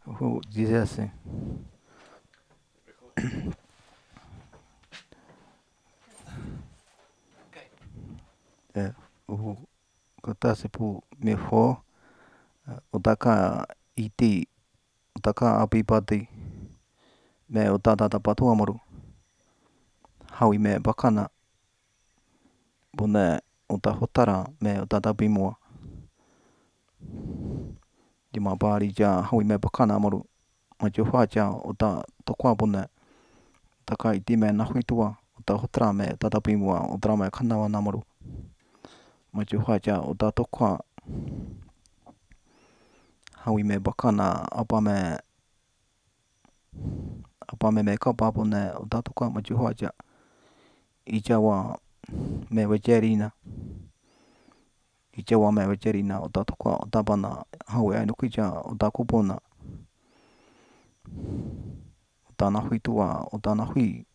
Ujú, dice así. É, o kata pu me fo utaka iti utaka api pati me utata tapatu amaru hawi me bakana bune uta hotara me utata pimua dima bari ja hawi me bakana amaru maju faja uta tokwa bune utaka iti me nahuitua uta hotara me utata pimua utara me kanawa namaru maju faja uta tokwa hawi me bakana apa me kapa bune uta tokwa maju faja ijawa me wajerina ijawa me wajerina uta tokwa uta bana hawi ainukija uta kupuna uta nahuitua uta nahui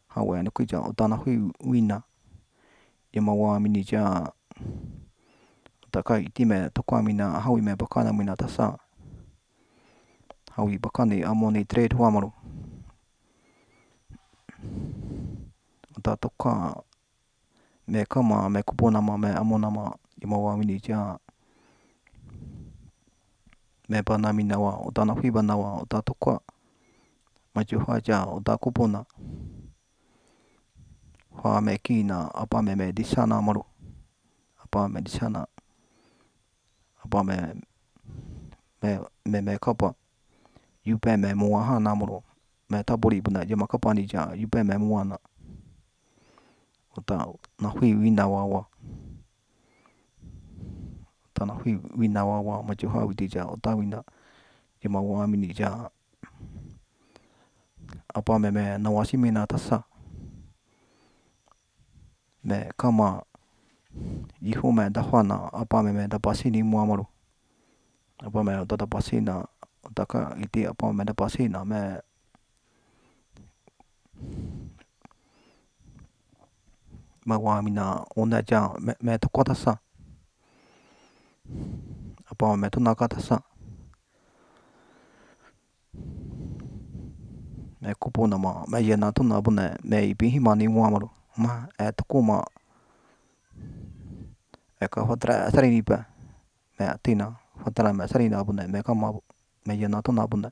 hawi ainukija uta nahui wina dima wa minija utaka iti me tokwa mina hawi me bakana mina tasa hawi bakani amoni trade huamaru uta tokwa me kama me kupunama me amonama dima wa minija me bana mina wa uta nahui bana wa uta tokwa maju faja uta kupuna fa me kina apa me disana maru apa me disana apa me kapa yupe me mua hana maru me taburi buna jema kapa nija yupe me muana uta nahui wina wawa uta nahui wina wawa maju hawi dija uta wina jema wa minija apa me nawasi mina tasa me kama yihu me dafana apa me dapasini muamaru apa me uta dapasina utaka iti apa me dapasina me wa mina una ja me tokwa tasa apa me tunaka tasa me kupuna ma me yena tuna bune me ipi himani muamaru ma tokuma eka hotra sarini pa me atina hotra me sarina bune me kama me yena tuna bune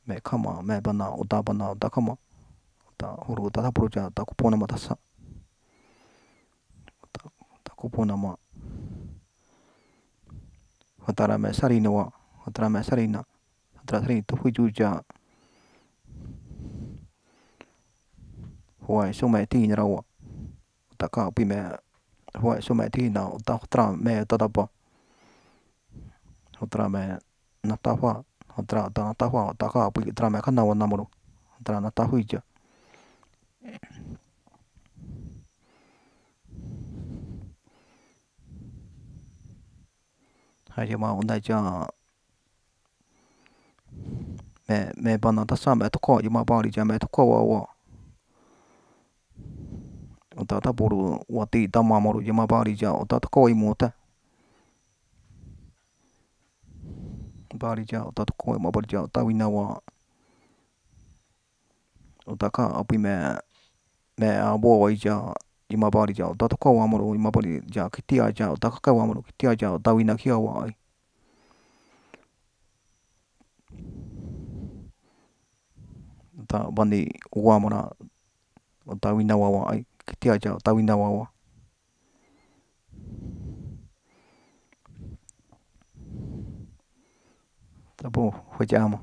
me kama me bana uta kama uta huru uta tapuru ja uta kupuna ma tasa uta kupuna ma hotra me sarina wa hotra me sarina hotra sarini tuhui juja huai sume tina rawa uta ka pi me huai sume tina uta hotra me uta tapa hotra me natafa hotra uta natafa uta ka pi utra me kanawa namaru utra natahuija haja ma una ja me bana tasa me toko jama bari ja me toko wawa uta tapuru wati tamamaru jama bari ja uta toko imuta bari ja uta toko ma bari ja uta wina wa uta ka api me abo wa ija jama bari ja uta toko wamaru jama bari ja kitia ja uta kaka wamaru kitia ja uta wina kia wa ai uta bani wamara uta wina wawa ai kitia ja uta wina wawa tabu hojama